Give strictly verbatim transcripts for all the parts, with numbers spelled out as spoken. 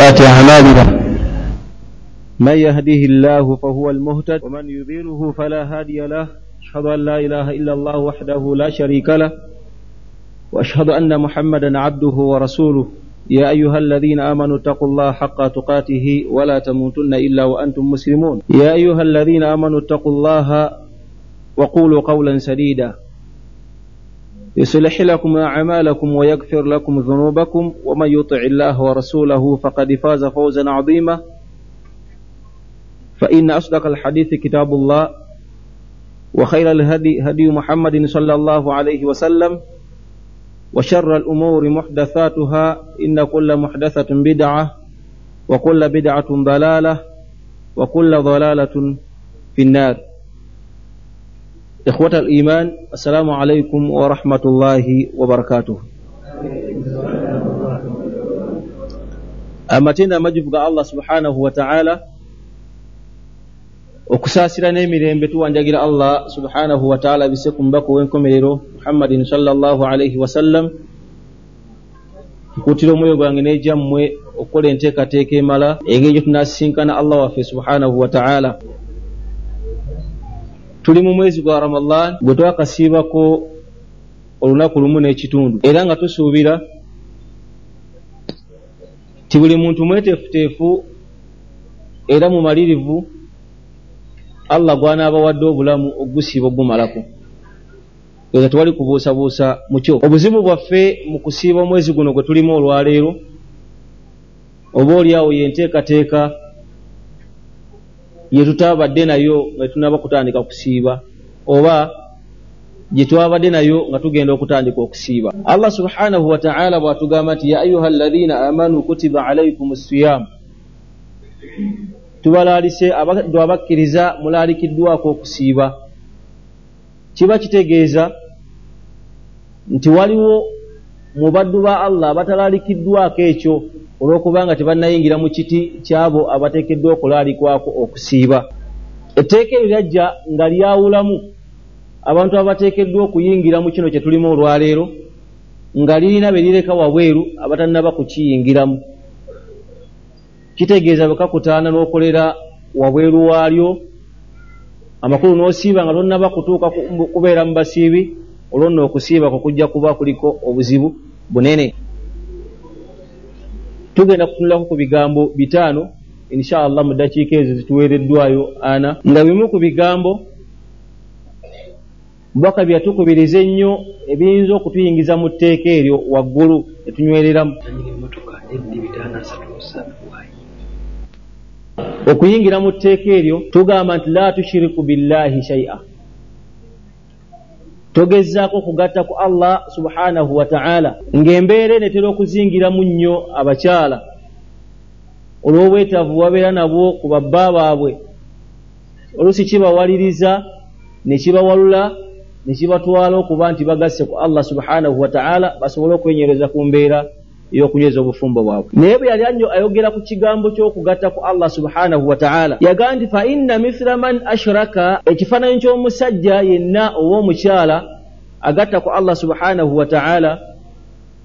سيئات أعمالنا من يهده الله فهو المهتد ومن يضلله فلا هادي له أشهد أن لا إله إلا الله وحده لا شريك له وأشهد أن محمدا عبده ورسوله يا أيها الذين آمنوا اتقوا الله حق تقاته ولا تموتن إلا وأنتم مسلمون يا أيها الذين آمنوا اتقوا الله وقولوا قولا سديدا يصلح لكم أعمالكم ويغفر لكم ذنوبكم ومن يطع الله ورسوله فقد فاز فوزا عظيما فإن أصدق الحديث كتاب الله وخير الهدي هدي محمد صلى الله عليه وسلم وشر الأمور محدثاتها إن كل محدثة بدعة وكل بدعة ضلالة وكل ضلالة في النار. إخوة الإيمان، السلام عليكم ورحمة الله وبركاته. Amatenda amajibu ga Allah subhanahu wa ta'ala, okusaasira n'emirembe tuwanjagira Allah subhanahu wa ta'ala bise ku mubaka ow'enkomerero Muhammadin sallallahu alaihi wasallam. Nkuutira omwoyo gwange n'egyammwe okukola enteekateeka emala engeri gye tunaasisinkana Allah waffe subhanahu wa ta'ala. Tuli mu mwezi gwa Ramadan gwe twakasiibako olunaku lumu n'ekitundu, era nga tusuubira ti buli muntu mweteefuteefu era mumalirivu Allah gw'anaabawadde obulamu ogusiiba ogumalako. Eza tewali kubuusabuusa mu kyo. Obuzibu bwaffe mu kusiiba omwezi guno gwe tulimu olwaleero, oba oliawo y'enteekateeka ye tutabadde nayo nga tunaba kutandika kusiiba, oba gye twabadde nayo nga tugenda okutandika okusiiba. Allah subhanahu wa ta'ala bw'atugamba nti ya ayuha alladhina amanu kutiba alaykum as-siyam, tubalaalise abaddu abakkiriza mulaalikiddwako okusiiba. Kiba kitegeeza nti waliwo mu baddu ba Allah abatalaalikiddwako ekyo olw'okubanga tebannayingira mu kiti kyabo abateekeddwa okulaalikwako okusiiba. Etteeka eryo lyajja nga lyawulamu abantu abateekeddwa okuyingira mu kino kye tulimu olwaleero, nga lirina be lireka wabweru abatannaba kukiyingiramu. Kitegeeza bwe kakutaana n'okolera wabweru waalyo, amakulu n'osiiba nga tonnaba kutuuka kubeera mu basiibi, olwo nno okusiiba kwo kujja kuba kuliko obuzibu bunene. Tugenda kutunulako ku bigambo bitaano insha Allah mu ddakiika ezo zituweereddwayo ana, nga bimu ku bigambo Mubaka bye yatukubiriza ennyo ebiyinza okutuyingiza mu tteeka eryo waggulu etunywereramu. Okuyingira mu tteeka eryo tugamba nti la tushiriku billahi shay'a, togezaako okugatta ku Allah subhanahu wa ta'ala. Ng'embeera eno etera okuzingiramu nnyo abakyala olw'obwetaavu babeera nabwo ku babba baabwe, oluusi kibawaliriza ne kibawalula ne kibatwala okuba nti bagasse ku Allah subhanahu wa ta'ala basobole okwenyereza ku mbeera ey'okunyweza obufumbo bwabwe. Naye bwe yali ayogera ku kigambo ky'okugatta ku Allah subhanahu wa ta'ala, yagamba nti fa inna mithla man ashraka, ekifaananyi ky'omusajja yenna oba omukyala agatta ku Allah subhanahu wa ta'ala,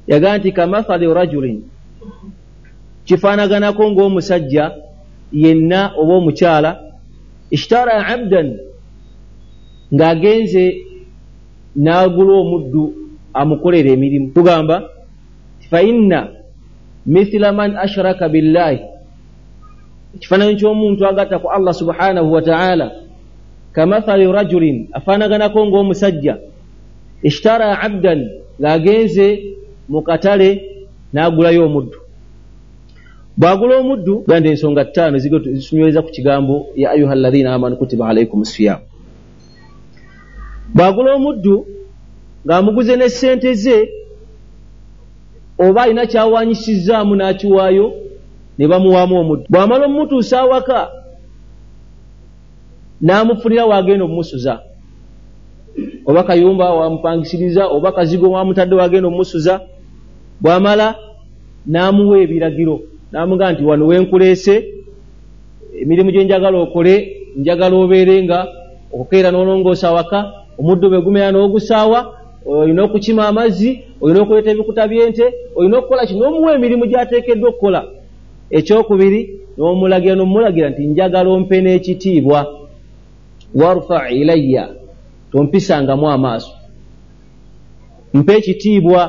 yagamba nti kamathali rajulin, kifaanaganako ng'omusajja yenna oba omukyala ishtara abdan, ng'agenze n'agula omuddu amukolera emirimu. Tugamba fa inna mithla man ashraka billahi, ekifaananyi ky'omuntu agatta ku Allah subhanahu wa ta'ala, kamathali rajulin, afaanaganako ng'omusajja ishtara abdan, ng'agenze mu katale n'agulayo omuddu. Bw'agula omuddu, ganda ensonga ttaano zitunyweza ku kigambo ya ayuha alladhina amanu kutiba alaykum siyam. Bw'agula omuddu ng'amuguze ne ssente ze, oba alina kyawanyisizzaamu n'akiwaayo ne bamuwaamu omuddu. Bw'amala omutuusa awaka n'amufunira w'agenda omumusuza, oba kayumba wamupangisiriza, oba kazigo wamutadde w'agenda omumusuza. Bw'amala n'amuwa ebiragiro, n'amugamba nti wano wenkuleese, emirimu gye njagala okole, njagala obeere nga okukeera n'olongoosa awaka, omuddu bwe gumera n'ogusaawa, olina okukima amazzi, olina okuleeta ebikuta by'ente, olina okukola kino, n'omuwa emirimu gy'ateekeddwa okukola. Ekyokubiri n'omulagira n'omulagira nti njagala ompe n'ekitiibwa, warfa ilayya, tompisangamu amaaso, mpe ekitiibwa.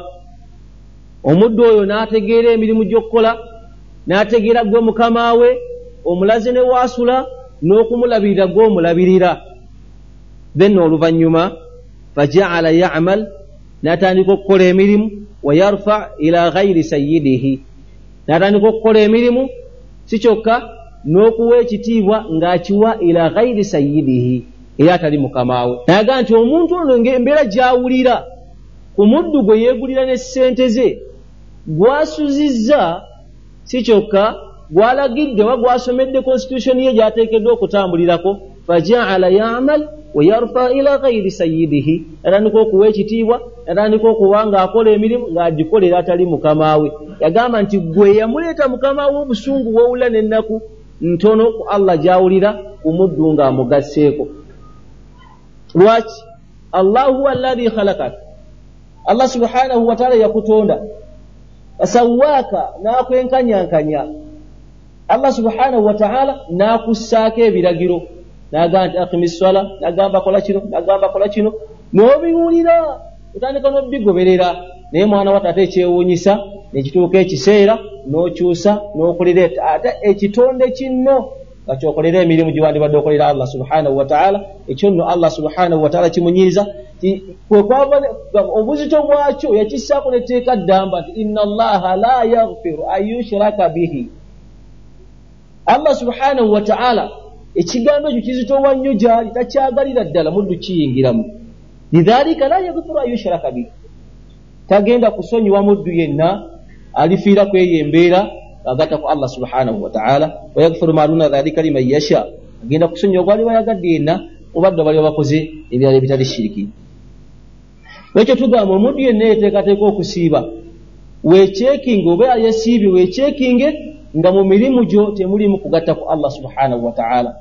Omuddu oyo n'ategeera emirimu gy'okukola, n'ategeera gwe mukama we, omulaze ne waasula n'okumulabirira gwe omulabirira. Then oluvannyuma fajaala yamal, n'atandika okukola emirimu, wa yarfa ila ghairi sayyidihi, n'atandika okukola emirimu si kyokka n'okuwa ekitiibwa ng'akiwa ila ghairi sayyidihi, era atali mukama we. Nayaga nti omuntu ono ng'embeera gy'awulira ku muddu gwe yeegulira ne ssente ze, gwasuzizza si kyokka gwalagidde oba gwasomedde constitution ye gy'ateekeddwa okutambulirako. Fajaala yamal wa yarfa ila ghairi sayyidihi, atandika okuwa ekitiibwa, atandika okuba ng'akola emirimu ng'agikolera atali mukama we. Yagamba nti gwe yamuleeta mukama we obusungu bw'owulira n'ennaku ntono ku Allah gy'awulira ku muddu ng'amugasseeko. Lwaki? Allah huwa alladhi khalaqak, Allah subhanahu wa ta'ala yakutonda, fasawaaka, n'akwenkanyankanya. Allah subhanahu wa ta'ala n'akussaako ebiragiro, n'agamba nti aqimi sswala, n'agamba kola kino, n'agamba kola kino, n'obiwulira otandika n'obigoberera. Naye mwana wa taata ekyewuunyisa nekituuka ekiseera n'okyusa n'okolera ate ekitonde kinno nga kyokolera emirimu gyewandibadde okolera Allah subhanahu wa ta'ala. Ekyo nno Allah subhanahu wa ta'ala kimunyiiza, kwe kwava obuzito bwakyo yakissaako netteeka ddamba nti inna allaha la yaghfiru an yushraka bihi. Allah subhanahu wa ta'ala ekigambo ekyo kizitowa nnyo gy'ali, takyagalira ddala muddu kiyingiramu. Lidhalika la yaghfiru an yushraka bihi, tagenda kusonyiwa muddu yenna alifiira ku eyo embeera agatta ku Allah subhanahu wa ta'ala. Wa yaghfiru ma duna dhalika liman yasha, agenda kusonyiwa gw'aliba ayagadde yenna obadde bali bakoze ebirala ebitali shiriki. Ekyo tugamba omuddu yenna yeteekateeka okusiiba, weechekinge oba yasiibye weechekinge nga mu mirimu gyo temulimu kugatta ku Allah subhanahu wa ta'ala,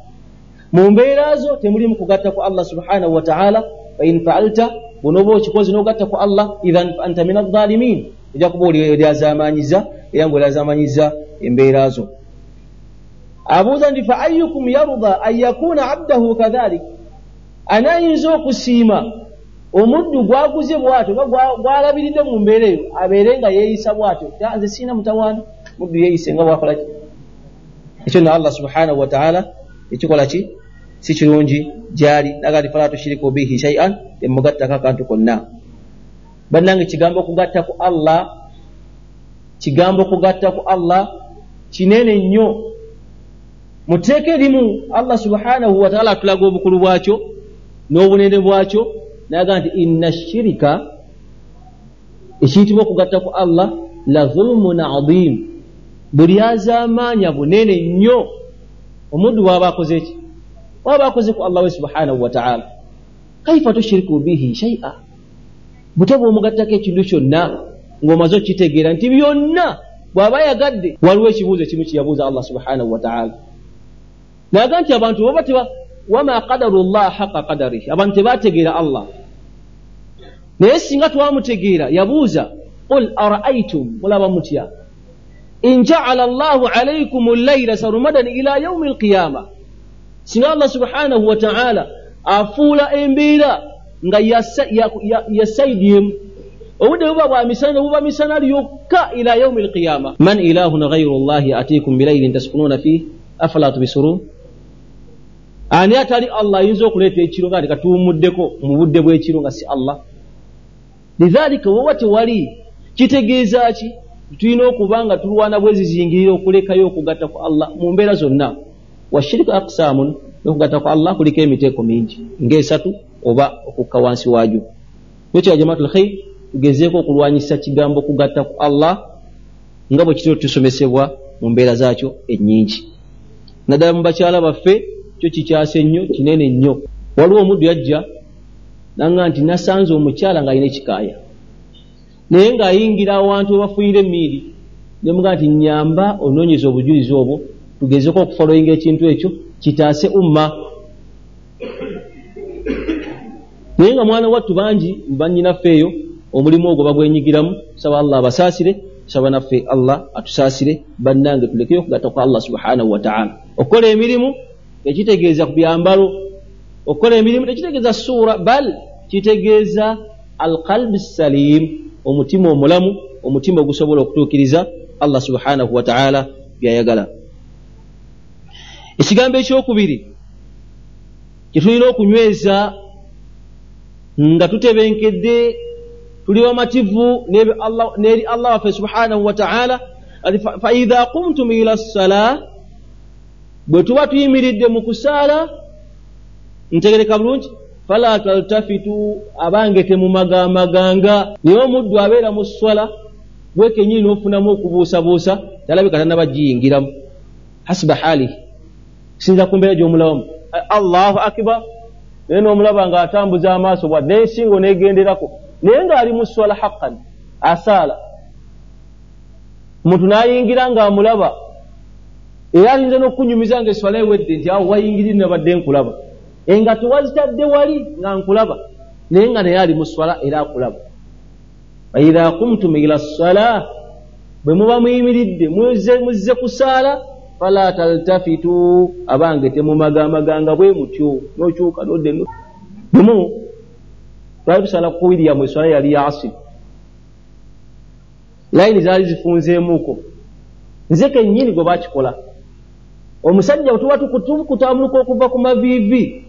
mu mbeera zo temulimu kugatta ku Allah subhanahu wa ta'ala. Fa in fa'alta, bw'onooba okikoze n'ogatta ku Allah, idhan fa anta min adh-dhalimin, ojja kuba olyazaamaanyiza era ng'olyazaamaanyiza embeera zo. Abuuza nti fa ayyukum yarda an yakuna abdahu kadhalik, anaayinza okusiima omuddu gwaguze bw'atyo oba gwalabiridde mu mbeera eyo abeere nga yeeyisa bw'atyo, nze siina mutawaana, muddu yeeyise nga bw'akola ki? Ekyo nno Allah subhanahu wa ta'ala ekikola ki si kirungi gy'ali. Naga nti fala tushiriku bihi shay'an, temugattako akantu konna. Bannange kigambo kugatta ku Allah, kigambo kugatta ku Allah kinene nnyo. Mu tteeka erimu Allah subhanahu wa ta'ala atulaga obukulu bwakyo n'obunene bwakyo, naga nti inna shirika, ekiyitibwa okugatta ku Allah, la dhulmun adhim, buli azaamaanya bunene nnyo. Omuddu bw'aba akoze ki? Bw'aba akoze ku Allah we subhanahu wa ta'ala. Kaifa tushiriku bihi shay'a, butya bw'omugattako ekintu kyonna ng'omaze okukitegeera nti byonna bw'aba ayagadde. Waliwo ekibuuzo ekimu kye yabuuza Allah subhanahu wa ta'ala, naga nti abantu baba teba wama qadaru llah haqa qadarihi, abantu tebategeera Allah, naye singa twamutegeera. Yabuuza qul araaitum, mulaba mutya, in ja'ala Allahu alaykum al-layla sarmadan ila yawmi al-qiyama, singa Allah subhanahu wa ta'ala afuula embeera nga yasaidiyemu obudde buba bwa misana buba misana lyokka ila yawmi al-qiyama. Man ilahun ghayru Allahi atiikum bilaylin taskununa fihi afala tubsirun, ani atali Allah ayinza okuleeta ekiro nga katuwummuddeko mu budde bw'ekiro nga si Allah? Lidhalika woba tewali, kitegeeza ki? Tulina okuba nga tulwana bwezizingirira okulekayo okugatta ku Allah mu mbeera zonna. Washiriku aqsaamun, n'okugatta ku Allah kuliko emiteeko mingi ng'esatu oba okukka wansi waagyo. Ekyo ya jamaatul khair, tugezeeko okulwanyisa kigambo kugatta ku Allah nga bwe kitera tusomesebwa mu mbeera zaakyo ennyingi, naddala mu bakyala baffe. Kyo kikyase nnyo, kinene nnyo. Waliwo omuddu yajja nanga nti nasanze omukyala ng'alina ekikaaya, naye ng'ayingira awantu webafuuyira emmiiri. Nemugamba nti nnyamba onoonyeza obujulizi obwo tugezeko okufolowinga ekintu ekyo kitaase umma. Naye nga mwana wattu bangi bannyinaffe eyo omulimu ogwo bagwenyigiramu. Saba Allah abasaasire, Tusaba naffe Allah atusaasire. Bannange, tulekeyo okugatta kwa Allah subhanahu wataala. Okukola emirimu tekitegeeza ku byambalo, okukola emirimu tekitegeeza suura, bal kitegeeza alqalbi salim, omutima omulamu, omutima ogusobola okutuukiriza Allah subhanahu wataala byayagala. Ekigambo ekyokubiri kyetulina okunyweza nga tutebenkedde, tuli bamativu n'eri Allah waffe subhanahu wataala, fa idha qumtum ila ssalah, bwe tuba tuyimiridde mu kusaala, ntegereka bulungi, fala taltafitu, abange temumagamaganga. Naye omuddu abeera mu sswala gwe kennyini n'ofunamu okubuusabuusa, talabika tannaba giyingiramu, hasiba haalihi, kusinza ku mbeera gy'omulabamu. Allahu akbar, naye n'omulaba ng'atambuza amaaso bwa n'ensingo n'egenderako, naye ng'ali mu sswala haqqan asaala. Omuntu n'ayingira ng'amulaba, era ayinza n'okunyumiza ng'esswala ewedde nti awo wayingirire nabadde nkulaba, enga tewazitadde wali nga nkulaba, naye nga naye ali mu sswala era akulaba. Faidha qumtum ila ssala, bwe muba muyimiridde muzze kusaala, fala taltafitu, abange temumagamaganga bwe mutyo, n'okyuka n'odde. Lumu twali tusaala ku William, esswala yali ya asiri, layini zaali zifunzeemuuko, nze kennyini gwe bakikola. Omusajja tuba tukutambuluka okuva ku maviivi,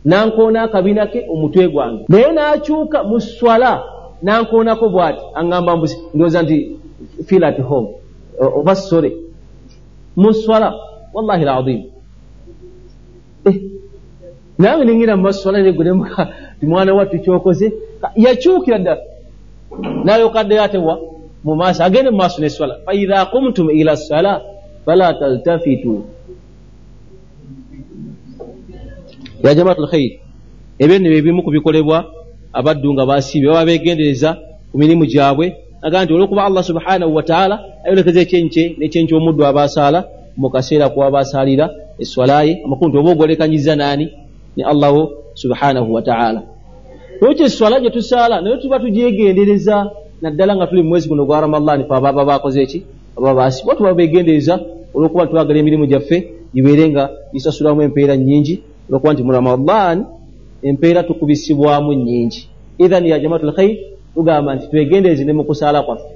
nankoona akabina ke omutwe gwange, naye n'akyuka mu sswala nankoonako bw'ati, aŋŋamba mbusi ndowooza nti feel at home oba sore mu sswala, wallahi alazim. Eh, nange ningira mu maswala negwe nemuka ti mwana wattu kyokoze, yakyukira ddala n'alyoka addayo atewa mu maaso, agende mu maaso n'esswala. Fa idha qumtum ila ssala fala taltafitu. Ya jamaatu lkhair, ebyo nno byebimu ku bikolebwa abaddu nga basiibye, baba beegendereza ku mirimu gyabwe, aga nti olw'okuba Allah subhanahu wataala ayolekeza ekyenkye n'ekyenkye omuddu aba asaala mu kaseera kuba asaalira esswala ye, amakulu nti oba ogwolekanyiza naani ne Allahu subhanahu wataala. Lwekyo esswala gye tusaala naye tuba tugyegendereza, naddala nga tuli mu mwezi guno gwa Ramadhaani, fe ababa bakoze eki, ababa baasiibwa tuba beegendereza olw'okuba twagala emirimu gyaffe gibeere nga gisasulamu empeera nnyingi, olw'okuba nti mu Ramadhaani empeera tukubisibwamu nnyingi. Idhan ya jamaatul khair, tugamba nti twegendereze ne mu kusaala kwaffe.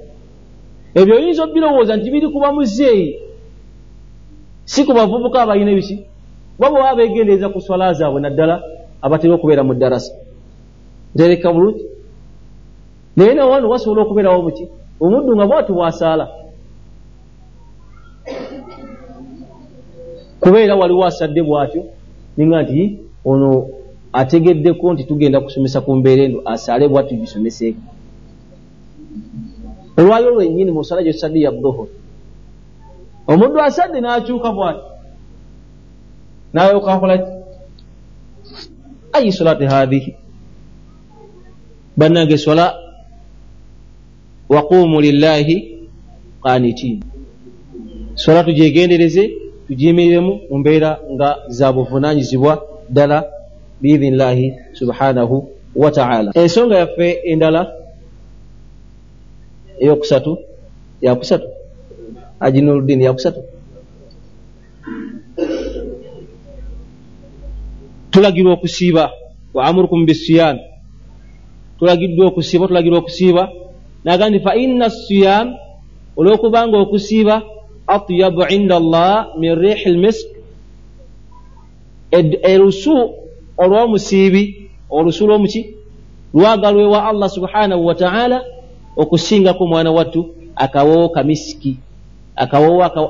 Ebyo oyinza obirowooza nti biri kuba muzeeyi, si ku bavubuka abalina ebiki, kuba bwe baba beegendereza ku swala zaabwe, naddala abatera okubeera mu ddarasa. Ntereka bulungi, naye nawano wasobola okubeerawo muki omuddu nga bw'ati bw'asaala, kubeera waliwo asadde bw'atyo, ninga nti ono ategeddeko nti tugenda kusomesa ku mbeera eno, asaale bw'ati tugisomeseeko. Olwaliro lwennyini mu ssala gye tusadde ya dhuhuri, omuddu asadde n'akyuka bw'ati, n'alyoka akola ki? Ayi salati haadhihi, bannange swala waqumu lillahi qanitin, swala tugyegendereze, tugiyimiriremu mu mbeera nga za buvunaanyizibwa ddala biidhinillahi subhanahu wataala. Ensonga yaffe endala eyokusatu, yakusatu Haji Nuruddin, yakusatu, tulagirwa okusiiba, wa amurukum bisiyam, tulagiddwa okusiiba, tulagirwa okusiiba. Naga nti fa inna siyam, olw'okubanga okusiiba atyabu inda Allah min rihi lmisk, erusu olw'omusiibi, olusu lw'omuki lwagalwa ewa Allah subhanahu wataala okusingako mwana wattu akawoowo kamisiki, akawoowo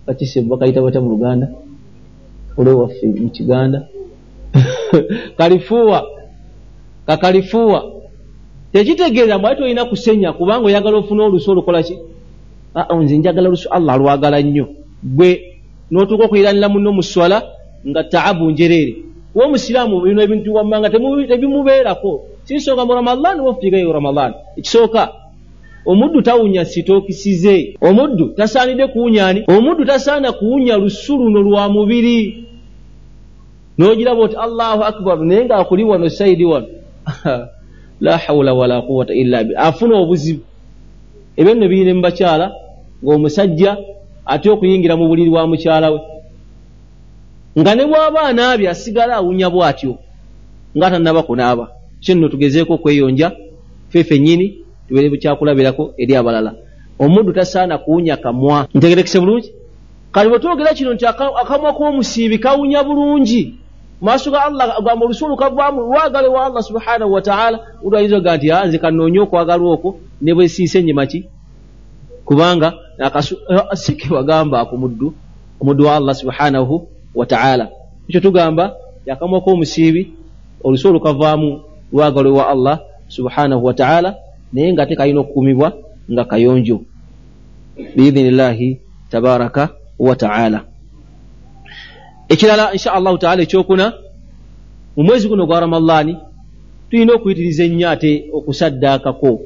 bakise bakayita batya mu Luganda olwewaffe mu Kiganda kalifuwa, kakalifuwa. Tekitegeeza mbw ate olina kusenya kubanga oyagala ofune olusu olukola ki, nze njagala lusu Allah alwagala nnyo, gwe n'otuuka okuyiranira munno mu sswala nga taabu njereere. Kuba omusiraamu bino ebintu wammanga tebimubeerako, si nsonga mu Ramadhaani oba Ramadhaani. Ekisooka, omuddu tawunya sitookisize, omuddu tasaanidde kuwunya ani, omuddu tasaana kuwunya lusu luno lwa mubiri, n'ogiraba oti Allahu akbar, naye ng'akuli wano sayidi wano la hawula wala quwwata illa billah, afuna obuzibu. Ebyo nno birine mu bakyala, ng'omusajja ate okuyingira mu buliri bwa mukyala we, nga ne bw'aba anaabye asigala awunya bw'atyo nga tannaba kunaaba. Kyo nno tugezeeko okweyonja ffe ffennyini, tubeere bukyakulabirako eri abalala. Omuddu tasaana kuwunya kamwa. Ntegerekese bulungi? Kale bwe twogera kino nti akamwa k'omusiibi kawunya bulungi maaso ga Allah, agamba olusu olukavaamu lwagala wa Allah subhanahu wa ta'ala, omuntu ayinza okugaa nti nze kannoonye okwagalwa okwo ne bwe siise nnyima ki, kubanga si ke bagamba ako muddu, omuddu wa Allah subhanahu wa ta'ala. Ekyo tugamba akamwa k'omusiibi olusu olukavaamu lwagala wa Allah subhanahu wa ta'ala, naye nga ate kalina okukuumibwa nga kayonjo biidhinillahi tabaraka wa ta'ala. Ekirala insha Allahu ta'ala ekyokuna, mu mwezi guno gwa Ramadhaani tulina okuyitiriza ennyo ate okusaddaakako.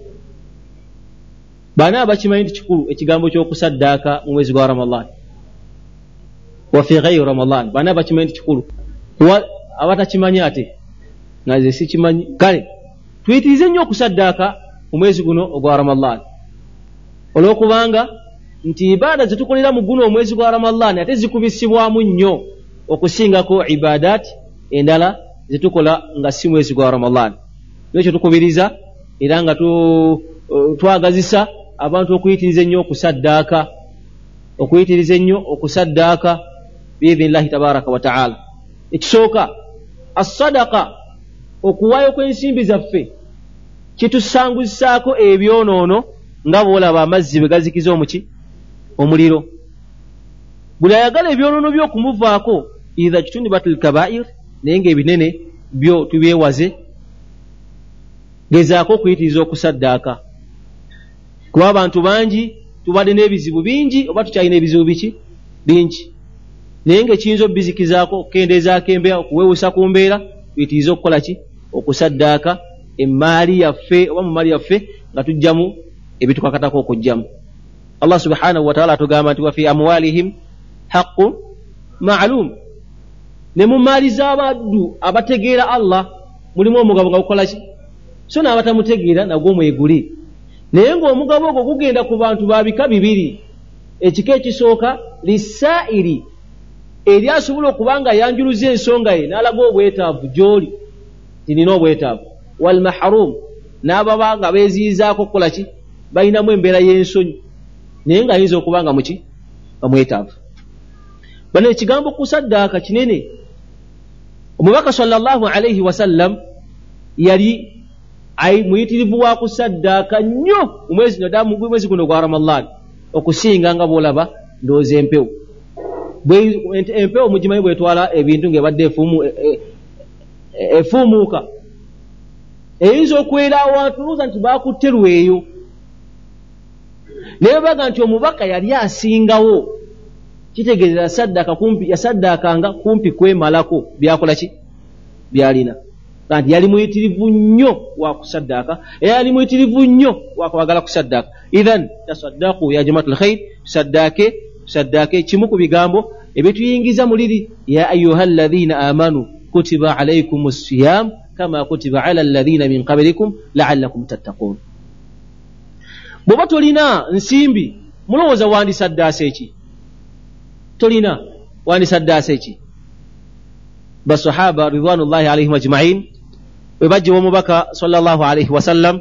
Bana abakimanyi nti kikulu ekigambo ky'okusaddaaka mu mwezi gwa Ramadhaani wa fi ghayri Ramadhaan, bana abakimanyi nti kikulu, abatakimanyi ate nga nze sikimanyi. Kale tuyitirize nnyo okusaddaaka mu mwezi guno ogwa Ramadhaani, olw'okubanga nti ibaada zetukolera mu guno omwezi gwa Ramadhaani ate zikubisibwamu nnyo okusingako ibaadaati endala zetukola nga si mwezi gwa Ramadhaani. Nekyo tukubiriza era nga twagazisa abantu okuyitiriza ennyo okusaddaaka, okuyitiriza ennyo okusaddaaka biidhinillahi tabaraka wa taala. Ekisooka, assadaka, okuwaayo kw'ensimbi zaffe kitusanguzisaako ebyonoono nga bw'olaba amazzi bwe gazikiza omuki omuliro. Buli ayagala ebyonoono by'okumuvaako idha kitunibatil kabair, naye ng'ebinene byo tubyewaze, gezaako okuyitiriza okusaddaaka, kuba abantu bangi tubadde n'ebizibu bingi oba tukyalina ebizibu biki bingi, naye ng'ekiyinza obbizikizaako okukendeezaako embeera, okuweewusa ku mbeera, tuyitirize okukola ki? Okusaddaaka emmaali yaffe oba mu maali yaffe nga tujjamu ebitukakatako okujjamu. Allah subhanahu wa ta'ala atugamba nti wa fi amwalihim haqqun ma'lum, ne mu maali z'abaddu abategeera Allah mulimu omugabo nga gukola ki? So n'abatamutegeera nagwo mweguli, naye ng'omugabo ogwo gugenda ku bantu ba bika bibiri. Ekika ekisooka lisaa'iri, eri asobola okuba nga yanjuluza ensonga ye n'alaga obwetaavu gy'oli nti nina obwetaavu, wal mahrum, n'ababa nga beeziyizaako okukola ki? Balinamu embeera y'ensonyi, naye ng'ayinza okuba nga muki nga mwetaavu. Bano ekigambo kusaddaaka kinene. Omubaka sallallahu alaihi wasallam yali muyitirivu wa kusaddaaka nnyo mu mwezi naddala mu mwezi guno gwa Ramadhaani okusinga nga bw'olaba ndowooza empewo. Empewo mugimanyi bwetwala ebintu ng'ebadde efuumuuka, eyinza okwera awantu olowooza nti baakutte lweyo, naye baga nti omubaka yali asingawo, kitegeeza yasaddaaka kumpi, yasaddaakanga kumpi kwemalako byakola ki byalina. Nti yali muyitirivu nnyo wa kusaddaaka, era yali muyitirivu nnyo wa kwagala kusaddaaka. Idhan tasaddaqu ya jamaatul khair, tusaddaake, tusaddaake kimu ku bigambo ebituyingiza mu liri ya ayuha alladhina amanu kutiba alaykum siyam kama kutiba ala alladhina min qablikum la'allakum tattaqun. Bw'oba tolina nsimbi, mulowooza wandisaddaase ki? Tolina, wandisaddaase ki? Basahaba ridwanullahi alaihim ajma'in bwe bajja omubaka sallallahu alaihi wasallam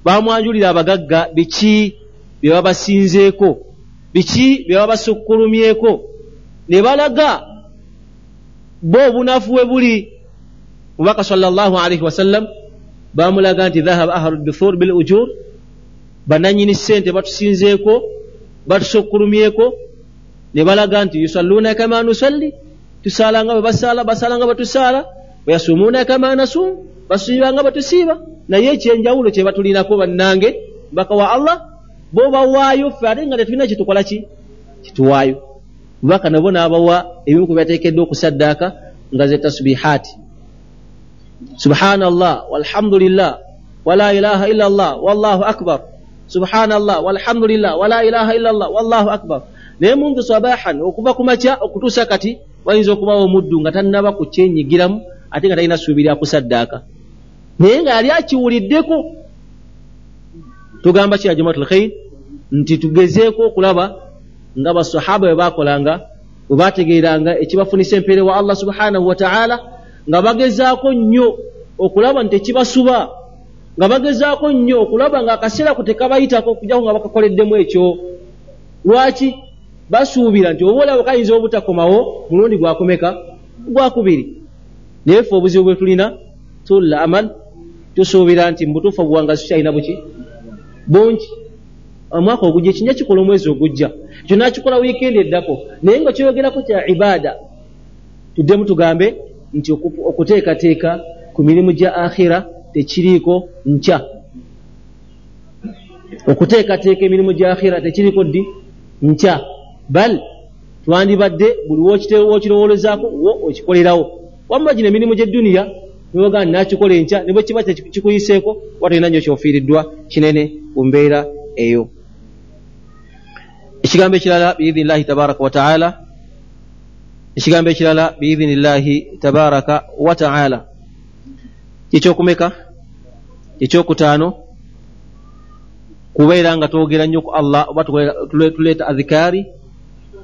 bamwanjulira abagagga biki bye babasinzeeko, biki bye babasukkulumyeko, ne balaga bo obunafu we buli. Mubaka sallallahu alaihi wasallam bamulaga nti dhahaba ahlu duthur bil ujur, bannannyini ssente batusinzeeko, batusukkulumyeko, ne balaga nti yusalluna kama nusalli, tusaala nga bwe basaala, basaala nga bwe tusaala, wayasumuuna kama nasum, basiiba nga bwe tusiiba, naye ekyenjawulo kye batulinako bannange mbaka wa Allah bo bawaayo ffe ate nga tetulina kyetukola ki kituwaayo. Mubaka nabo n'abawa ebimu ku byateekeddwa okusaddaaka nga ze tasbihaati, subhanallah walhamdulillah wala ilaha illa Allah wallahu akbar, subhanallah walhamdulillah wala ilaha illa Allah wallahu akbar. Naye muntu sabahan, okuva ku makya okutuusa kati wayinza okubawo omuddu nga tannaba kukyenyigiramu ate nga talina ssuubi lya kusaddaaka, naye nga yali akiwuliddeko. Tugamba ki ya jamaatul khair? Nti tugezeeko okulaba nga basahaba bwe baakolanga, bwe baategeeranga ekibafunisa empeere wa Allah subhanahu wa ta'ala, nga bagezaako nnyo okulaba nti tekibasuba, nga bagezaako nnyo okulaba nga akaseera ko tekabayitako okujjako nga bakakoleddemu ekyo. Lwaki? Basuubira nti oba olaba kayinza obutakomawo mulundi gwakumeka gwakubiri. Naye ffe obuzibu bwe tulina tulla amal, tusuubira nti mu butuufu obuwangazi tukyalina buki bungi. Omwaka ogujja ekinja kikola omwezi ogujja, ekyo nakikola wiikendi eddako, naye nga kyoyogerako kya ibaada. Tuddemu tugambe nti okuteekateeka ku mirimu gya akhira tekiriiko nkya. Okuteekateeka emirimu gya akhira tekiriiko ddi? Nkya. Bal twandibadde buli w'okirowoolezaako wo okikolerawo. Wamma gino emirimu gy'edduniya niwogaa nakikola enkya, ne bwe kiba kikuyiseeko oba tolina nnyo kyofiiriddwa kinene ku mbeera eyo. Ekigambo ekirala biidhinillahi tabaraka wa taala, ekigambo ekirala biidhinillahi tabaraka wa taala ekyokumeka ekyokutaano, kubeera nga twogera nnyo ku Allah oba tuleeta adhikaari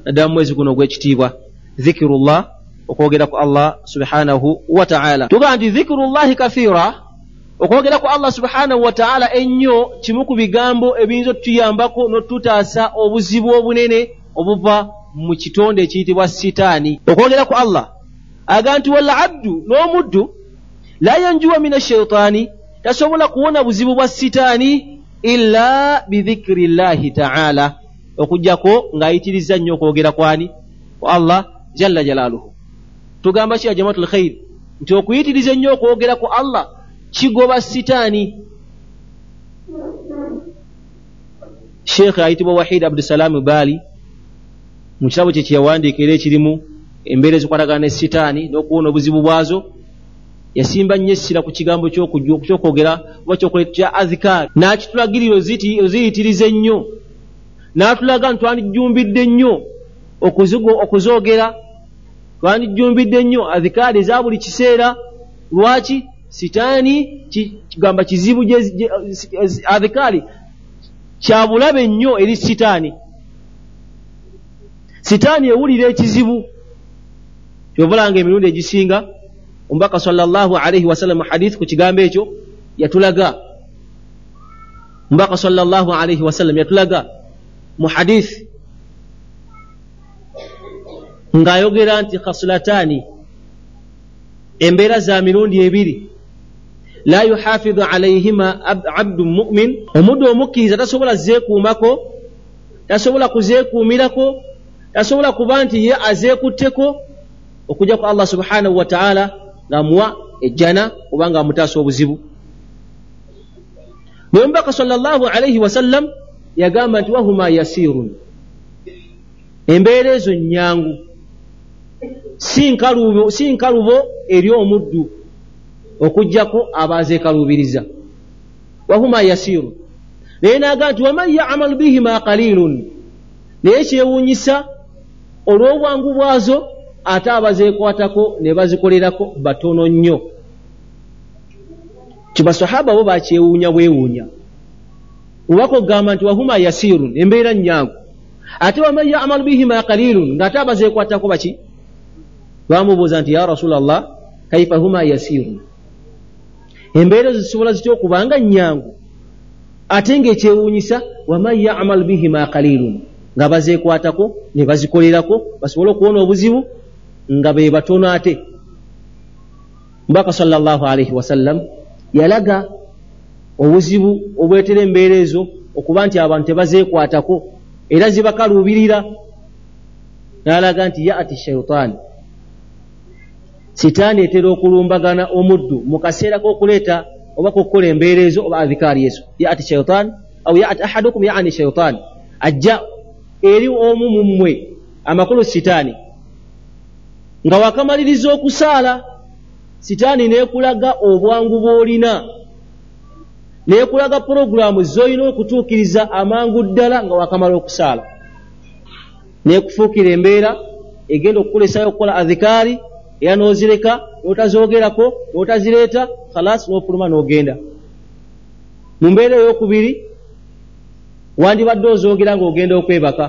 naddala mu mwezi guno ogw'ekitiibwa, dhikirullah, okwogera ku Allah subhanahu wa ta'ala. Tugamba nti dhikirullahi kathira, okwogera ku Allah subhanahu wa ta'ala ennyo kimu ku bigambo ebiyinza otutuyambako n'otutaasa obuzibu obunene obuva mu kitonde ekiyitibwa sitaani. Okwogera ku Allah agamba nti wal abdu, n'omuddu, la yanjuwa mina shaitaani, tasobola kuwona buzibu bwa sitaani illa bidhikrillahi ta'ala, okujjako ng'ayitiriza nnyo okwogera kwani ku Allah jalla jalaaluhu. Tugamba ki ya jamaatul khair nti okuyitiriza ennyo okwogera ku Allah kigoba sitaani. Sheikh ayitibwa Wahid Abdusalaam Bali mu kitabo kye kyeyawandiika era ekirimu embeera ezikwatagana ne sitaani n'okuwona obuzibu bwazo, yasimba nnyo essira ku kigambo ky'okwogera oba kya adhikaari, n'akitulagirira oziyitiriza ennyo, n'atulaga nti twandijjumbidde nnyo okuzoogera, twandijjumbidde nnyo adhikaari eza buli kiseera. Lwaki? Sitaani kigamba kizibu, adhikaari kya bulabe nnyo eri sitaani. Sitaani ewulira ekizibu. Kyovulanga emirundi egisinga omubaka sallallahu alaihi wasallam mu hadith ku kigambo ekyo yatulaga, omubaka sallallahu alaihi wasallam yatulaga mu hadith ng'ayogera nti khasulatani, embeera za mirundi ebiri, la yuhafidhu alaihima abdu mu'min, omuddu omukkiriza tasobola zeekuumako, tasobola kuzeekuumirako, tasobola kuba nti ye azeekutteko okujja ku Allah subhanahu wa ta'ala ng'amuwa ejjana oba ng'amutaasa obuzibu. Naye omubaka sallallahu alaihi wasallam yagamba nti wahuma yasirun, embeera ezo nnyangu, si nkalubo, si nkalubo eri omuddu okujjako abazeekaluubiriza. Wahuma yasirun, naye n'agamba nti waman ya'mal bihima qalilun, naye kyewuunyisa olw'obwangu bwazo ate abazeekwatako ne bazikolerako batono nnyo. Kibasahaba bo bakyewuunya bwewuunya. Omubaka okugamba nti wahuma yasirun, embeera nnyangu, ate waman ya'mal bihima qalilun, ng'ate abazeekwatako baki? Bamubuuza nti ya Rasulallah, kaifa huma yasirun, embeera ezo zisobola zitya okubanga nnyangu ate ng'ekyewuunyisa waman ya'mal bihima qalilun, nga bazeekwatako ne bazikolerako basobole okuwona obuzibu nga be batono. Ate Omubaka sallallahu alaihi wasallam yalaga obuzibu obwetera embeera ezo okuba nti abantu tebazeekwatako era zibakaluubirira, n'alaga nti ya'ati shaitaani, sitaani etera okulumbagana omuddu mu kaseera k'okuleeta oba k'okukola embeera ezo oba adhikaari ezo. Ya'ati shaitaani au ya'ati ahadukum, ya'ani shaitaani, ajja eri omu mu mmwe, amakulu sitaani, nga wakamaliriza okusaala, sitaani n'ekulaga obwangu bw'olina, n'ekulaga puroguramu z'olina okutuukiriza amangu ddala nga wakamala okusaala, n'ekufuukira embeera egenda okukulesayo okukola adhikaari, era n'ozireka n'otazoogerako n'otazireeta, khalas n'ofuluma n'ogenda. Mu mbeera ey'okubiri, Wandibadde ozoogera ng'ogenda okwebaka,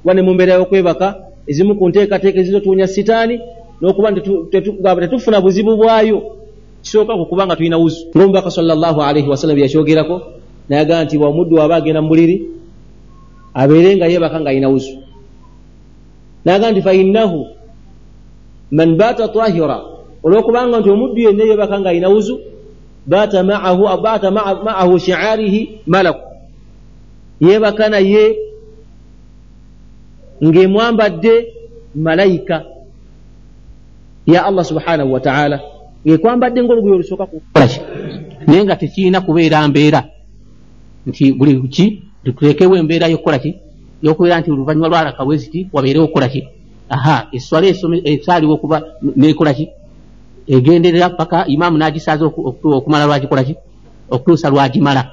kuba ne mu mbeera y'okwebaka ezimu ku nteekateeka ezizotuwonya sitaani n'okuba nti tetufuna buzibu bwayo kisooka ku kuba nga tulina wuzu. Ng'omubaka sallallahu alaihi wasallam yakyogerako n'agamba nti omuddu aba agenda mu buliri abeere nga yeebaka ng'alina wuzu. N'agamba nti fa innahu man baata tahira, olw'okubanga nti omuddu yenna yeebaka ng'alina wuzu baata ma'ahu baata ma'ahu shi'arihi malaku, yeebaka naye ng'emwambadde malayika ya Allah subhanahu wa ta'ala, ng'ekwambadde ng'olugoye olusooka kukola ki, naye nga tekirina kubeera mbeera nti buli ki tuteekewo embeera y'okukola ki y'okubeera nti oluvannyuma lwalaka bwe ziti wabeerewo okukola ki. Aha, esswala esaaliwo okuba neekola ki egenderera paka imaamu n'agisaaza okumala lwagikola ki okutuusa lwagimala,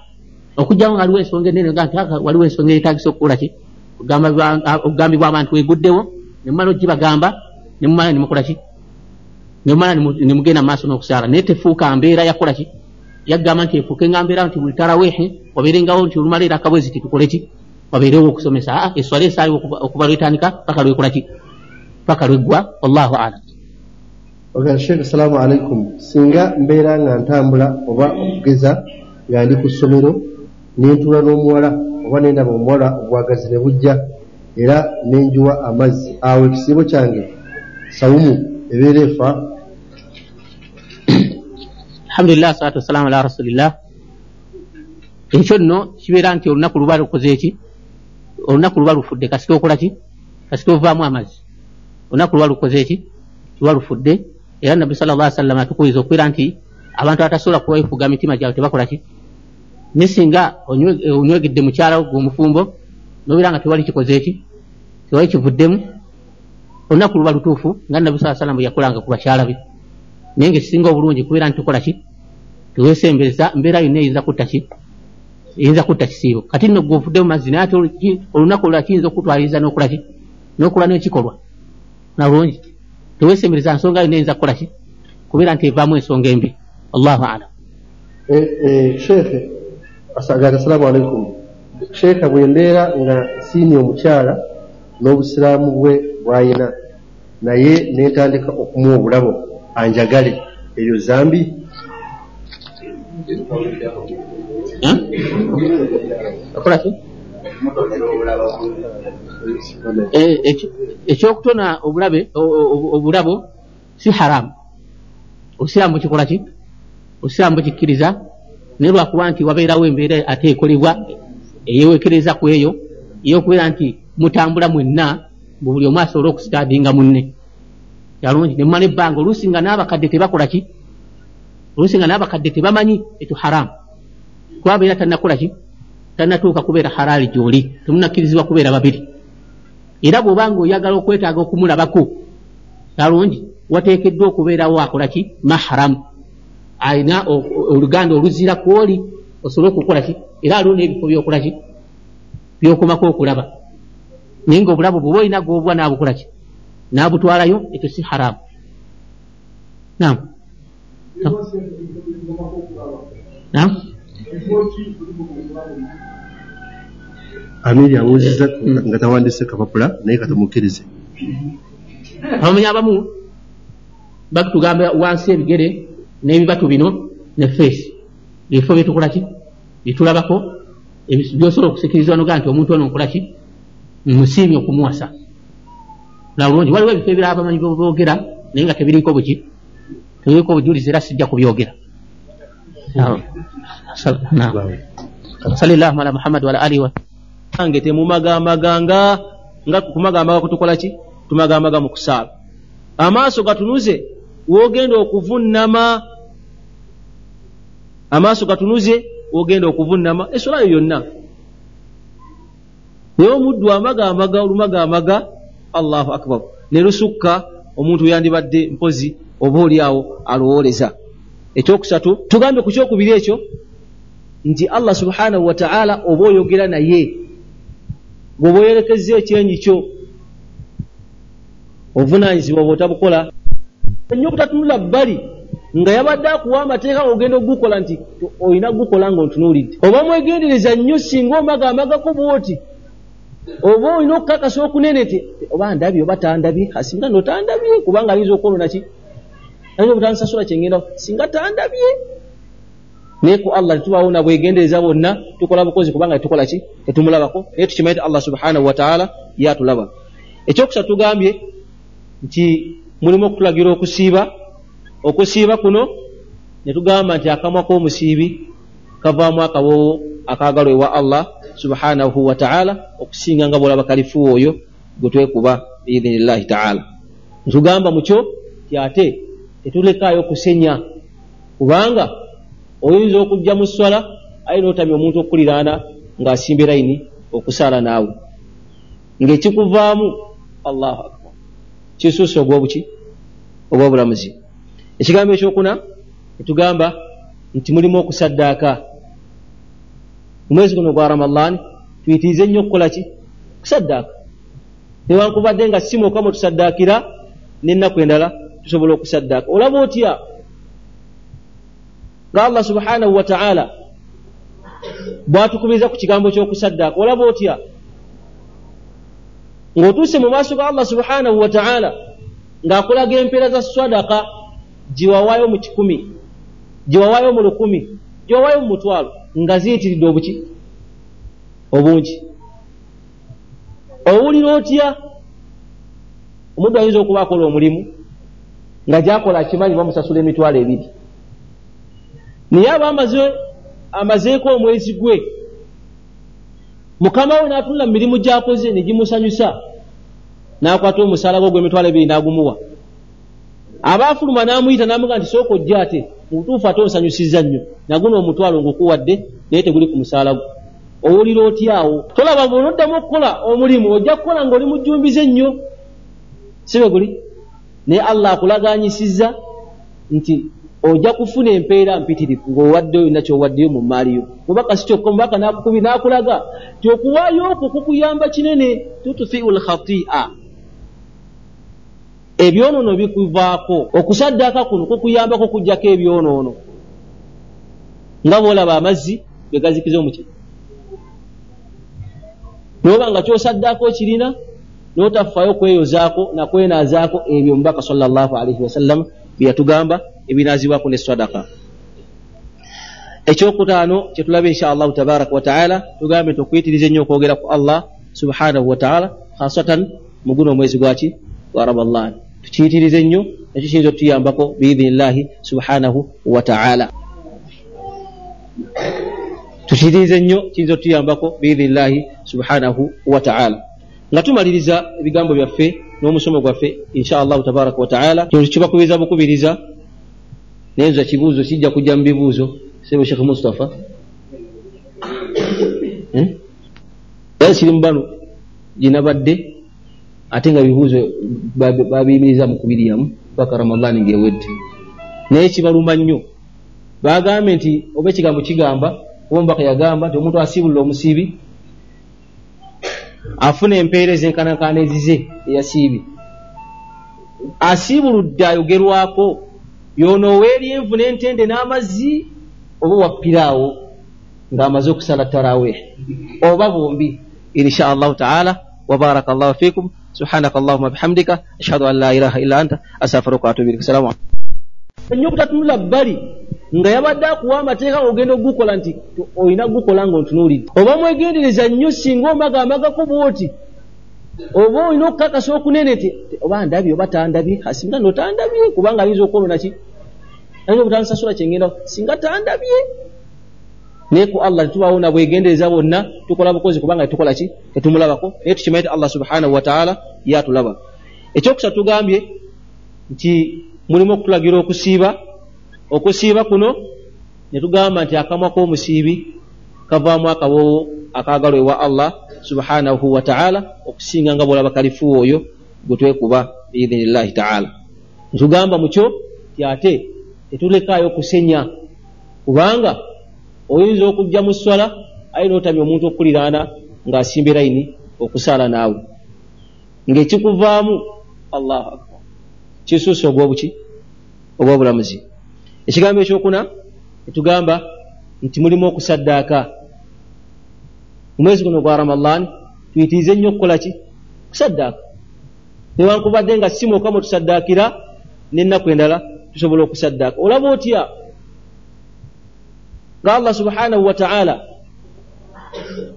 okugyawo nga waliwo ensonga ennene nga nti waliwo ensonga eyeetaagisa okukola ki okugambibwa abantu eguddewo ne mumala ogibagamba ne mumala ne mukola ki ne mumala ne mugenda mu maaso n'okusaala. Naye tefuuka mbeera yakola ki yagamba nti efuuke nga mbeera nti buli taraweehe wabeerengawo nti olumala era akabwezi tukole ki wabeerewo okusomesa. Aa, esswala esaaliwo okuva lwetandika paka lwekola ki paka lweggwa. Wallahu a'lam. Oga Sheikh, assalamu alaikum. Singa mbeera nga ntambula oba okugeza nga ndi ku ssomero nentuula n'omuwala oba nendaba omuwala obwagazi ne bujja era nenjuwa amazzi, awo ekisiibo kyange sawumu ebeera efa? Alhamdulillah, salatu wassalamu ala rasulillah. Ekyo nno kibeera nti olunaku luba lukoze eki olunaku luba lufudde kasita okola ki kasita ovaamu amazzi, olunaku luba lukoze eki luba lufudde. Era Nabbi sallallahu alaihi wasallam atukubiriza okubeera nti abantu abatasobola kwefuga mitima gyabwe tebakola ki, naye singa onywegedde mukyala wo omufumbo n'obeera nga tewali kikoze eki tewali kivuddemu, olunaku luba lutuufu nga Nabbi sallallahu alaihi wasallam bwe yakolanga ku bakyala be. Naye ng'ekisinga obulungi kubeera nti tukola ki teweesembereza mbeera yonna eyinza kutta ki eyinza kutta kisiibo. Kati nno gwe ovuddemu mazzi, naye ate olunaku olulala kiyinza okutwaliriza n'okola ki n'okola n'ekikolwa nalungi. Teweesembereza nsonga yonna eyinza kukola ki kubeera nti evaamu ensonga embi. Allahu a'lam. Sheikh, assalamu alaikum. Sheikh, bwe mbeera nga nsiimye omukyala n'obusiraamu bwe bw'ayina naye nentandika okumuwa obulabo anjagale, eyo zambi? Okola ki? Ekyokutona obulabe obulabo si haramu, obusiraamu bukikola ki obusiraamu bukikkiriza, naye lwakuba nti wabeerawo embeera ate ekolebwa eyeweekereza ku eyo ey'okubeera nti mutambula mwenna buli omu asobole okusitaadinga munne yalungi ne mumala ebbanga. Oluusi nga n'abakadde tebakola ki oluusi nga n'abakadde tebamanyi ekyo haramu, kuba abeera tannakola ki tannatuuka kubeera halaali gy'oli, temunnakkirizibwa kubeera babiri. Era bw'obanga oyagala okwetaaga okumulabako yalungi wateekeddwa okubeerawo akola ki maharamu, alina oluganda oluzira kw'oli osobole okukola ki, era aliwo n'ebifo by'okola ki by'okomako okulaba. Naye ng'obulabo bw'oba olina gw'obwa n'abukola ki n'abutwalayo, ekyo si haramu. Naam. Naam. Amiri abuuzizza nga tawandiise kapapula naye katumukkirize. Abamanyi abamu batugamba wansi ebigere n'ebibatu bino ne feesi, ebifo byetukola ki byetulabako byosobola okusikirizibwa nogaa nti omuntu ono nkola ki musiimye okumuwasa nalungi. Waliwo ebifo ebirala abamanyi boogera naye nga tebiriiko buki tebiriiko bujulizi, era sijja kubyogera. Sallallahu ala Muhammad wa ala alihi wa ange temumagamaganga nga kumagamaga kutukola ki tumagamaga mu kusaala. Amaaso gatunuze wogenda okuvunnama, amaaso gatunuze wogenda okuvunnama eswala yo yonna. Naye omuddu amagamaga olumagamaga, Allahu akbar, ne lusukka omuntu yandibadde mpozi oba oli awo alowooleza. Ekyokusatu tugambe ku kyokubiri ekyo nti Allah subhanahu wa ta'ala oba oyogera naye bw'oba oyerekezza ekyenyi kyo obuvunaanyizibwa bw'otabukola ennyo obutatunula bbali nga yabadde akuwa amateeka ogenda okugukola nti olina gukola ng'ontunuulidde. Oba mwegendereza nnyo singa omagamagako bw'oti, oba olina okukakasa okunene nti oba ndabye oba tandabye, singa no tandabye, kubanga ayinza okwonona ki, ayinza obutansasula kyengenda, singa tandabye. Naye ku Allah tetubaawo na bwegendereza bwonna, tukola bukozi kubanga tetukola ki, tetumulabako, naye tukimanyi nti Allah subhanahu wataala yatulaba. Ekyokusatu tugambye nti mulimu okutulagira okusiiba. Okusiiba kuno ne tugamba nti akamwa k'omusiibi kavaamu akawoowo akaagalwa ewa Allah subhanahu wataala okusinga nga bw'olaba kalifuwa oyo gwe twekuba biidhinillahi taala. Ntugamba mukyo ti ate tetulekaayo kusenya, kubanga oyinza okujja mu sswala aye n'otamya omuntu okukuliraana ng'asimba layini okusaala naawe, ng'ekikuvaamu Allahu akbar kisuuse ogw'obuki ogw'obulamuzi. Ekigambo ekyokuna netugamba nti mulimu okusaddaaka. Mu mwezi guno gwa Ramadhan tuyitirize nnyo okukola ki, kusaddaaka. Newankubadde nga si mwokka mwe tusaddaakira, n'ennaku endala tusobola okusaddaaka. Olaba otya nga Allah subhanahu wa ta'ala bw'atukubiriza ku kigambo ky'okusaddaaka? Olaba otya ng'otuuse mu maaso ga Allah subhanahu wa ta'ala ng'akulaga empeera za sadaka giwawaayo mu kikumi, giwawaayo mu lukumi, giwawaayo mu mutwalo, nga ziyitiridde obuki obungi. Owulira otya? Omuddu ayinza okuba akola omulimu nga gy'akola akimanyi bamusasula emitwalo ebiri, naye aba amazeeko omwezi gwe, mukama we n'atunula mu mirimu gy'akoze ne gimusanyusa, n'akwata omusaala gwe ogw'emitwalo ebiri n'agumuwa. Aba afuluma n'amuyita n'amugamba nti sooka ojje, ate mu butuufu ate onsanyusizza nnyo, naguno omutwalo ngukuwadde naye teguli ku musaala gwo. Owulira otya awo? Tolaba bw'onoddamu okukola omulimu ojja kukola ng'oli mujjumbize nnyo, si bwe guli? Naye Allah akulaganyisizza nti ojja kufuna empeera mpitirivu ng'owaddeyo yonna ky'owaddeyo mu mmaali yo. Mubaka si kyokka, omubaka n'akukubi n'akulaga nti okuwaayo okwo kukuyamba kinene, tutfiu lkhati'a, ebyonoono bikuvaako. Okusaddaaka kuno kukuyambako okuggyako ebyonoono, nga bw'olaba amazzi bwe gazikiza omuki. N'oba nga ky'osaddaaka okirina n'otafaayo kweyozaako nakwenaazaako ebyo omubaka sallallahu alaihi wasallam bye yatugamba ebinaazibwako ne sadaka. Ekyokutaano kye tulaba insha Allahu tabaraka wa taala, tugambe nti okuyitiriza ennyo okwogera ku Allah subhanahu wa taala, khasatan mu guno omwezi gwaki gwa Ramadhan, tukiyitirize nnyo, ekyo kiyinza okutuyambako biidhinillahi subhanahu wa taala. Tukiyitirize nnyo kiyinza okutuyambako biidhinillahi subhanahu wa taala. Nga tumaliriza ebigambo byaffe n'omusomo gwaffe insha Allahu tabaraka wa taala, kino kibakubiriza bukubiriza, naye nza kibuuzo kijja kujja mu bibuuzo. Sebo Sheikh Mustafa, eh? Era kiri mu bano ginabadde ate nga bibuuzo babiyimiriza mu kubiryamu paka Ramadhani ng'ewedde, naye kibaluma nnyo. Bagambye nti oba ekigambo kigamba, oba omubaka yagamba nti omuntu asiibulula omusiibi afuna empeera ezenkanankana ezize eyasiibye. Asiibuludde ayogerwako yono ow'eryenvu n'entende n'amazzi, oba wappiraawo ng'amaze okusala tarawih, oba bombi insha Allahu taala. Wa baraka Allahu fikum, subhanaka Allahumma bihamdika, ashhadu an la ilaha illa anta, astaghfiruka wa atubu ilaik. Assalamu alaykum. Nnyo obutatunula bbali nga yabadde akuwa amateeka ogenda okugukola nti olina gukola ng'ontunuulidde. Oba mwegendereza nnyo singa omagamagako bw'oti, oba olina okukakasa okunene nti oba ndabye oba tandabye, singa no tandabye, kubanga ayinza okwonona ki, ayinza obutansasula kyengenda, singa tandabye. Naye ku Allah tetubaawo na bwegendereza bwonna, tukola bukozi kubanga tetukola ki, tetumulabako, naye tukimanyi nti Allah subhanahu wa taala yatulaba. Ekyokusatu tugambye nti mulimu okutulagira okusiiba. Okusiiba kuno ne tugamba nti akamwa k'omusiibi kavaamu akawoowo akaagalwa ewa Allah subhanahu wa taala okusinga nga bw'olaba kalifuwa oyo gwe twekuba biidhinillahi taala. Ntugamba mukyo ti ate tetulekaayo kusenya, kubanga oyinza okujja mu sswala aye n'otamya omuntu okukuliraana ng'asimba layini okusaala naawe, ng'ekikuvaamu Allahu akbar kisuuse ogw'obuki ogw'obulamuzi. Ekigambo ekyokuna etugamba nti mulimu okusaddaaka. Mu mwezi guno gwa Ramadan tuyitirize nnyo okukola ki? Kusaddaaka. Newankubadde nga si mwokka mwe tusaddaakira, n'ennaku endala tusobola okusaddaaka. Olaba otya nga Allah subhanahu wa ta'ala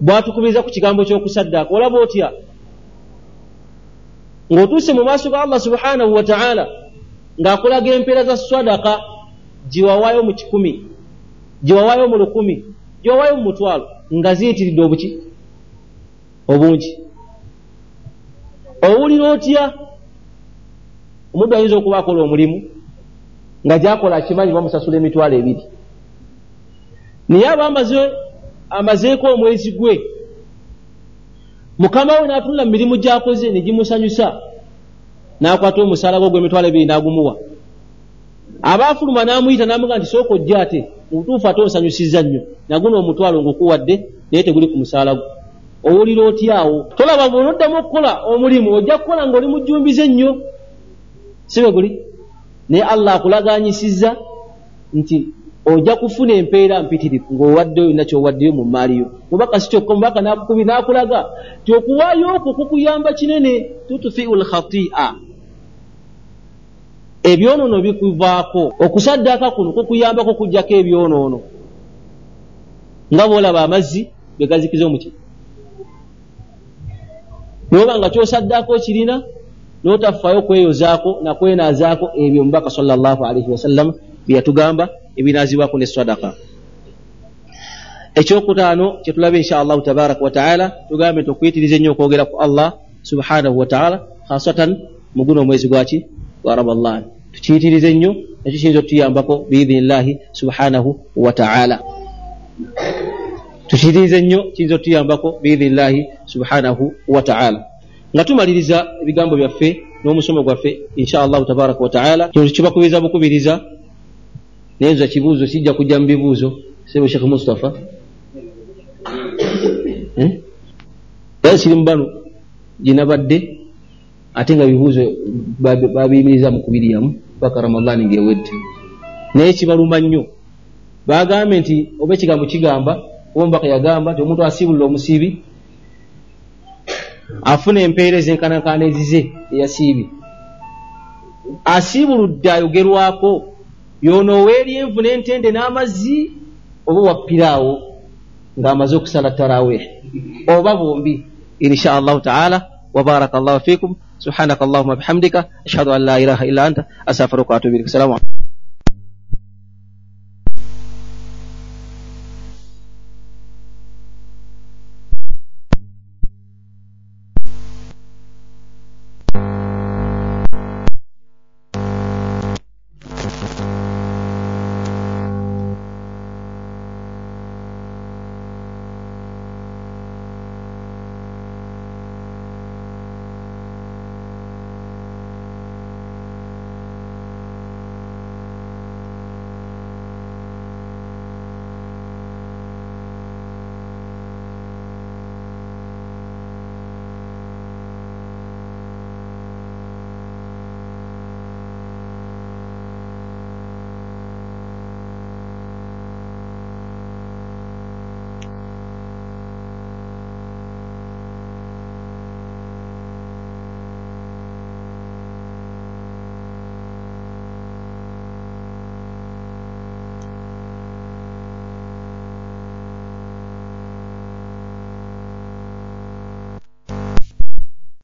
bw'atukubiriza ku kigambo ky'okusaddaaka? Olaba otya ng'otuuse mu maaso ga Allah subhanahu wa ta'ala ng'akulaga empeera za swadaka giwawaayo mu kikumi, giwawaayo mu lukumi, giwawaayo mu mutwalo, nga ziyitiridde obuki obungi? Owulira otya? Omuddu ayinza okuba akola omulimu nga gy'akola akimanyi bamusasula emitwalo ebiri, naye aba amaze amazeeko omwezi gwe, mukama we n'atunula mu mirimu gy'akoze ne gimusanyusa, n'akwata omusaala gwe ogw'emitwalo ebiri n'agumuwa. Aba afuluma n'amuyita n'amugamba nti sooka ojje, ate mu butuufu ate onsanyusizza nnyo, naguno omutwalo ng'okuwadde naye teguli ku musaala gwo. Owulira otya awo? Tolaba bw'onoddamu okukola omulimu ojja kukola ng'oli mujjumbize nnyo, si bwe guli? Naye Allah akulaganyisizza nti ojja kufuna empeera mpitirivu ng'owaddeyo yonna ky'owaddeyo mu mmaali yo. Mubaka si kyokka, omubaka n'akukubi n'akulaga nti okuwaayo okwo kukuyamba kinene. Tutfiu lkhati'a, ebyonoono bikuvaako. Okusaddaaka kuno kukuyambako okuggyako ebyonoono, nga bw'olaba amazzi bwe gazikiza omuki. N'oba nga ky'osaddaaka okirina n'otafaayo kweyozaako nakwenaazaako, ebyo omubaka sallallahu alaihi wasallam bye yatugamba ebinaazibwako ne swadaka. Ekyokutaano kye tulaba insha Allahu tabaraka wa taala, tugambe nti okuyitiriza ennyo okwogera ku Allah subhanahu wa taala, khasatan mu guno omwezi gwaki gwa Ramadan. Tukiyitirize nnyo, nakyo kiyinza okutuyambako biidhinillahi subhanahu wa taala. Tukiyitirize nnyo, kiyinza okutuyambako biidhinillahi subhanahu wa taala. Nga tumaliriza ebigambo byaffe n'omusomo gwaffe insha Allahu tabaraka wa taala, kino kibakubiriza bukubiriza, naye nza kibuuzo kijja kujja mu bibuuzo. Sebo Sheikh Mustafa, eh? Era kiri mu bano gye nabadde, ate nga bibuuzo babiyimiriza mu kubiryamu paka Ramadhani ng'ewedde, naye kibaluma nnyo. Bagambye nti oba ekigambo kigamba, oba omubaka yagamba nti omuntu asiibulula omusiibi afuna empeera ezenkanankana ezize eyasiibye. Asiibuludde ayogerwako yono ow'eryenvu n'entende n'amazzi, oba wappiraawo ng'amaze okusala tarawih, oba bombi insha Allahu taala. Wa baraka Allahu fikum. Subhanaka Allahumma bihamdika, ashhadu an la ilaha illa anta, astaghfiruka wa atubu ilaik. Assalamu alaykum.